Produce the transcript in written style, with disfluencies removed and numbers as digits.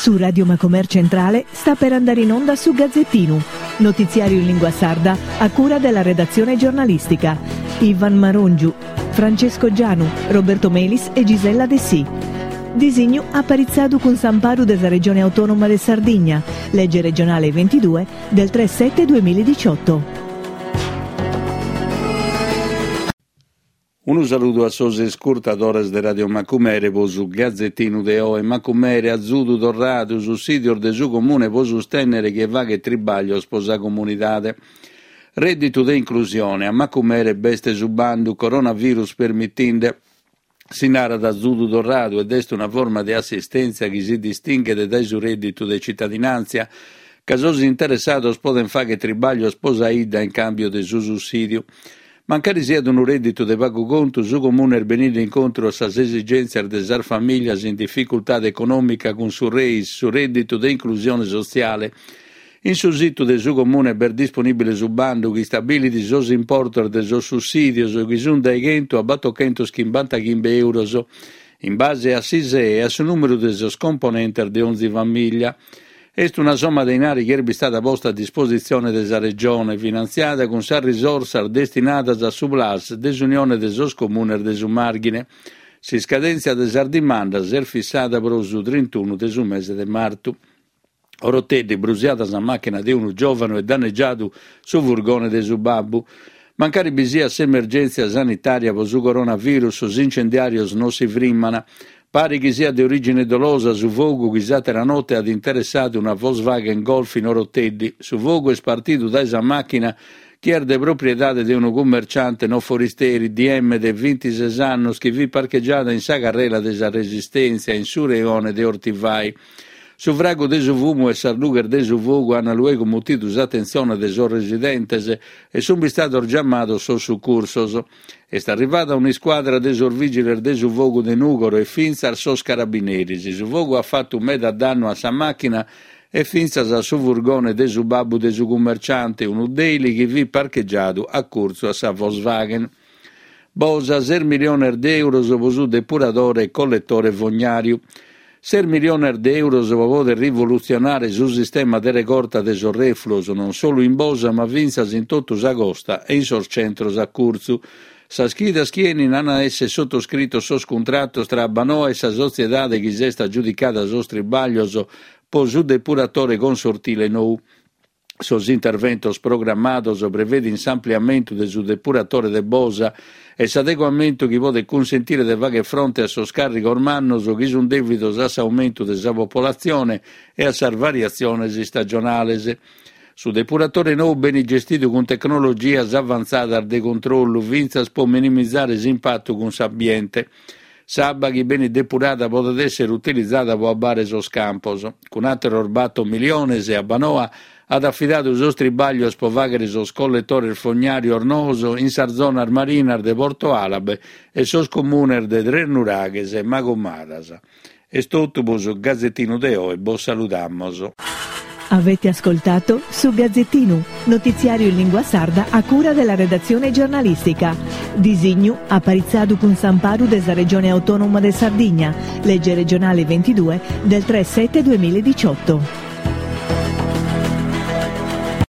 Su Radio Macomer Centrale sta per andare in onda su Gazzettinu, notiziario in lingua sarda a cura della redazione giornalistica. Ivan Marongiu, Francesco Gianu, Roberto Melis e Gisella Dessì. Disignu aparitzadu cun s'amparu de sa Regione Autonoma de Sardigna, lege regionale 22 del 3 7 2018. Unu saludu a sos iscurtadores de Radio Macumere po su Gazetinu de oe. Macumere, azudu torradu, sussìdios de su Comune po sustènnere chie faghet tribàglios po sa comunidade. Rèdditu de inclusione, a Macumere b'est su bandu, coronavirus permitinde. Si narat azudu torradu ed est una forma de assistèntzia chi si distinghet dae su rèdditu de citadinàntzia, ca sos interessados podent fàghere tribàglios po sa 'idda in càmbiu de su sussìdiu. Mancari siat unu rèdditu de pagu contu, su Comune est beninde incontru a sas esigèntzias de sas famìlias in dificultade econòmica cun su REIS, su rèdditu de inclusione sotziale. In su situ de su Comune b'est disponìbile su bandu chi istabilit sos importos de sos sussìdios chi sunt dae chentu a batochentoschimbantaghimbe èuros, in base a s'ISEE e a su nùmeru de sos componentes de onzi famìllia. Est una somma de inari chi est bistada posta a dispositzione de sa Regione, finantziada cun sas risorsas destinadas a su Plas de s'Unione de sos Comunes de su Màrghine. S'iscadèntzia de sas dimandas est fissada pro su trintunu de su mese de martu. Oroteddi, brusiada sa màchina de unu giòvanu e dannegiadu su furgone de su babbu. Mancari bi siat s'emergèntzia sanitària pro su coronavirus, sos incendiàrios non si frimmant. Paret chi siat de orìgine dolosa su fogu chi s'àtera note at interessadu una Volkswagen Golf in Oroteddi. Su fogu est partidu dae sa màchina chi est de propriedade de unu cummerciante no foristeri, DM de bintises annos chi fit parchegiada in sa carrela de sa Resistèntzia in su reone de Ortivai. Su fragu de su fumu e sas lughes de su fogu an luego mutidu s'atentzione de sos residentes e sunt bistados giamados sos sucursos. Est arrivada un'iscuadra de sos vìgiles de su fogu de Nùgoro e fintzas sos carabineris. Su fogu at fatu meda dannu a sa màchina e fintzas a su furgone de su babbu de su cummerciante, unu Daily chi fit parchegiadu a curtzu a sa Volkswagen. Bosa, ses miliones de euros pro su depuradore e colletore fognàriu. Ses miliones de euros pro poder rivolutzionare su sistema de regorta de sos refluos non solu in Bosa ma fintzas in totu sa costa e in sos centros a curtzu. Sas chidas chi 'enin an a esser sotoscritos sos cuntratos tra Abbanoa e sa sotziedade chi s'est agiudicada sos tribàglios pro su depuratore consortile nou. Sos interventos programmados prevedint s'ampliamentu de su depuratore de Bosa e s'adeguamentu chi podet cunsentire de fagher fronte a sos càrrigos mannos chi sunt dèvidos a s'aumentu de sa popolatzione e a sas variatziones istagionales. Su depuratore nou benit gestidu cun tecnologias avantzadas de controllu fintzas pro minimizare s'impatu cun s'ambiente. S'abba chi benit depurada podet èssere utilizada pro abbare sos campos. Cun àteros bator miliones, Abbanoa at afidadu sos tribàglios pro fàghere sos colletores fognàrios noos in sas zonas marinas de Porto Alabe e sos comunes de Tresnuraghes e Magomadas. Est totu pro su Gazetinu de oe, bos saludamos. Avete ascoltato Su Gazzettinu, notiziario in lingua sarda a cura della redazione giornalistica. Disignu aparitzadu cun s'amparu de sa Regione Autonoma de Sardigna, legge regionale 22 del 3 7 2018.